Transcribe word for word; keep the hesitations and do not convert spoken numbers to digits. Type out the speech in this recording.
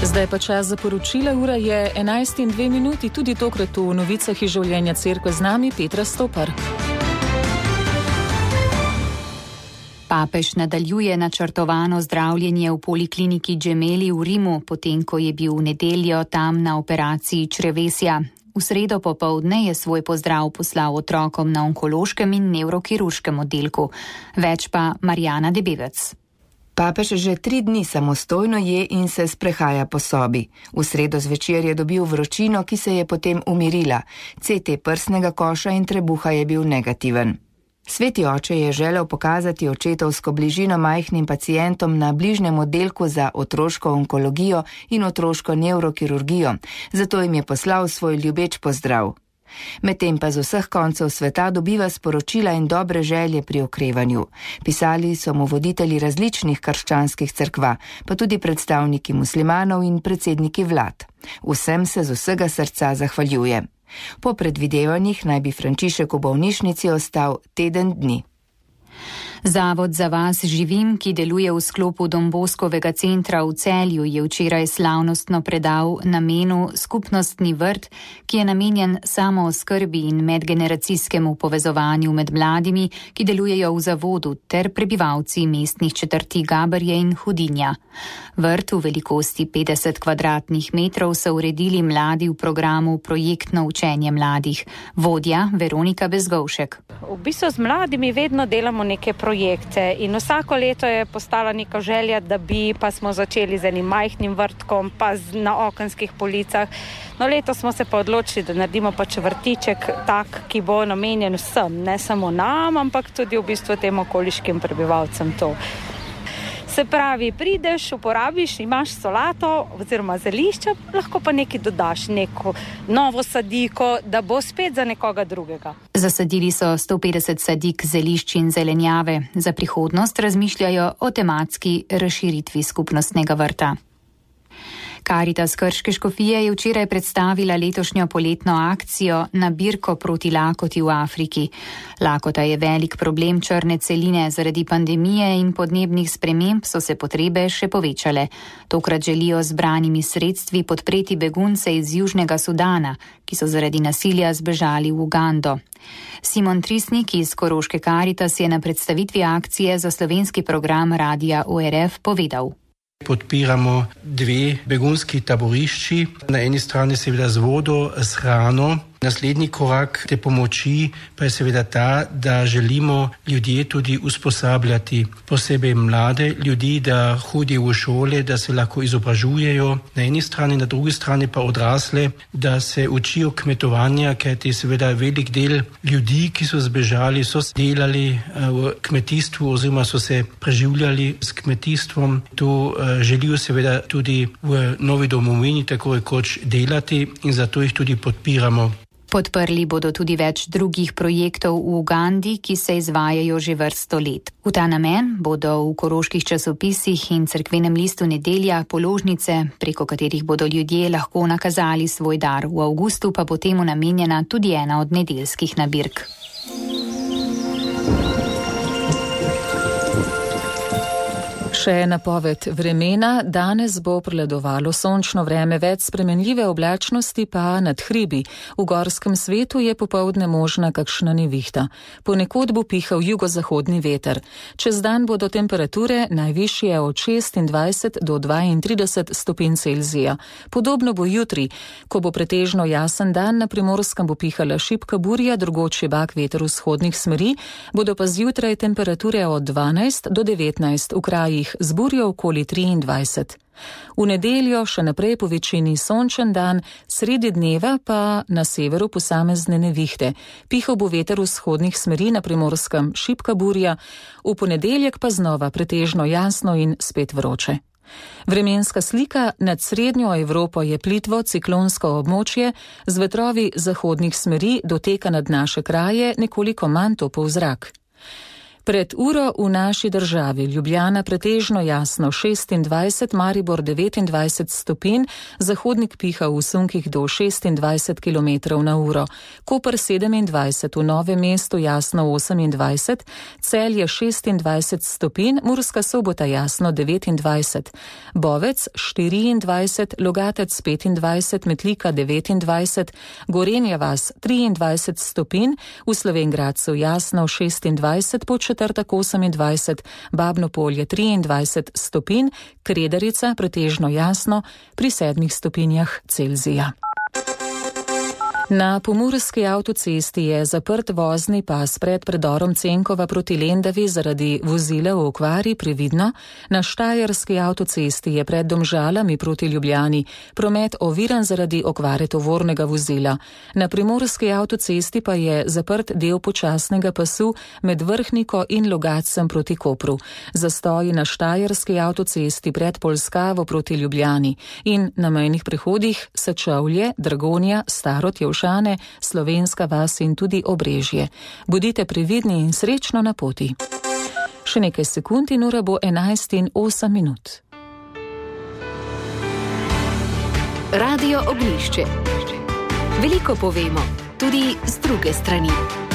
Zdaj pa čas za poročila, ura je enajst in dve minuti, tudi tokrat v novicah iz življenja cerkve z nami Petra Stopar. Papež nadaljuje načrtovano zdravljenje v polikliniki Gemelli v Rimu, potem ko je bil v nedeljo tam na operaciji črevesja. V sredo popoldne je svoj pozdrav poslal otrokom na onkološkem in nevrokirurškem oddelku. Več pa Marjana Debevec. Papež že tri dni samostojno je in se sprehaja po sobi. V sredo zvečer je dobil vročino, ki se je potem umirila. C T prsnega koša in trebuha je bil negativen. Sveti oče je želel pokazati očetovsko bližino majhnim pacientom na bližnjem oddelku za otroško onkologijo in otroško nevrokirurgijo, zato jim je poslal svoj ljubeč pozdrav. Medtem pa z vseh koncev sveta dobiva sporočila in dobre želje pri okrevanju. Pisali so mu voditelji različnih krščanskih cerkva, pa tudi predstavniki muslimanov in predsedniki vlad. Vsem se z vsega srca zahvaljuje. Po predvidevanjih naj bi Frančišek v bolnišnici ostal teden dni. Zavod Za vas živim, ki deluje v sklopu Don Boskovega centra v Celju, je včeraj slavnostno predal namenu skupnostni vrt, ki je namenjen samooskrbi in medgeneracijskemu povezovanju med mladimi, ki delujejo v zavodu, ter prebivalci mestnih četrti Gaberje in Hudinja. Vrt v velikosti petdeset kvadratnih metrov so uredili mladi v programu Projektno učenje mladih. Vodja Veronika Bezgovšek. V bistvu z mladimi vedno delamo neke projekte in vsako leto je postala neka želja, da bi, pa smo začeli z enim majhnim vrtkom, pa na okenskih policah. No, letos smo se pa odločili, da naredimo pač vrtiček tak, ki bo namenjen vsem, ne samo nam, ampak tudi v bistvu tem okoliškim prebivalcem to. Se pravi, prideš, uporabiš, imaš solato oziroma zelišča, lahko pa nekaj dodaš, neko novo sadiko, da bo spet za nekoga drugega. Zasadili so sto petdeset sadik zelišč in zelenjave. Za prihodnost razmišljajo o tematski razširitvi skupnostnega vrta. Karitas Krške škofije je včeraj predstavila letošnjo poletno akcijo Nabirko proti lakoti v Afriki. Lakota je velik problem črne celine, zaradi pandemije in podnebnih sprememb so se potrebe še povečale. Tokrat želijo z zbranimi sredstvi podpreti begunce iz Južnega Sudana, ki so zaradi nasilja zbežali v Ugando. Simon Trisnik iz Koroške Karitas je na predstavitvi akcije za slovenski program Radia O R F povedal. Podpiramo dve begunski taborišči, na eni strani seveda z vodo, s hrano. Naslednji korak te pomoči pa je seveda ta, da želimo ljudje tudi usposabljati, posebej mlade ljudi, da hodijo v šole, da se lahko izobražujejo. Na eni strani, na drugi strani pa odrasle, da se učijo kmetovanja, kajti seveda velik del ljudi, ki so zbežali, so delali v kmetijstvu oziroma so se preživljali s kmetijstvom. To želijo seveda tudi v novi domovini tako rekoč delati in zato jih tudi podpiramo. Podprli bodo tudi več drugih projektov v Ugandi, ki se izvajajo že vrsto let. V ta namen bodo v koroških časopisih in cerkvenem listu Nedelja položnice, preko katerih bodo ljudje lahko nakazali svoj dar. V avgustu pa bo temu namenjena tudi ena od nedeljskih nabirk. Še napoved vremena. Danes bo prevladovalo sončno vreme, več spremenljive oblačnosti pa nad hribi. V gorskem svetu je popoldne možna kakšna nevihta. Ponekod bo pihal jugozahodni veter. Čez dan bodo temperature najvišje od šestindvajset do dvaintrideset stopinj Celzija. Podobno bo jutri, ko bo pretežno jasen dan, na Primorskem bo pihala šibka burja, drugod šibak veter vzhodnih smeri, bodo pa zjutraj temperature od dvanajst do devetnajst, v krajih z burjo okoli triindvajset. V nedeljo še naprej po večini sončen dan, sredi dneva pa na severu posamezne nevihte. Pihal bo veter vzhodnih smeri, na Primorskem šibka burja, v ponedeljek pa znova pretežno jasno in spet vroče. Vremenska slika nad srednjo Evropo je plitvo ciklonsko območje, z vetrovi zahodnih smeri doteka nad naše kraje nekoliko manj topov zrak. Pred uro v naši državi Ljubljana pretežno jasno šestindvajset, Maribor devetindvajset stopinj, zahodnik piha v sunkih do šestindvajset kilometrov na uro, Koper sedemindvajset, v Novem mestu jasno osemindvajset, Celje šestindvajset stopinj, Murska Sobota jasno devetindvajset, Bovec štiriindvajset, Logatec petindvajset, Metlika devetindvajset, Gorenja vas triindvajset stopinj, v Slovenj Gradcu jasno šestindvajset, Podčetrtek osemindvajset, Babno Polje triindvajset stopinj, Kredarica pretežno jasno pri sedmih stopinjah Celzija. Na pomurski avtocesti je zaprt vozni pas pred predorom Cenkova proti Lendavi zaradi vozila v okvari, previdno. Na štajerski avtocesti je pred Domžalami proti Ljubljani promet oviran zaradi okvare tovornega vozila. Na primorski avtocesti pa je zaprt del počasnega pasu med Vrhniko in Logatcem proti Kopru. Zastoji na štajerski avtocesti pred Polskavo proti Ljubljani in na mejnih prehodih Sečovlje, Dragonja, Starod, Šane, Slovenska vas in tudi Obrežje. Bodite previdni in srečno na poti. Še nekaj sekund in ura bo enajst in osem minut. Radio Oglišče. Veliko povemo, tudi z druge strani.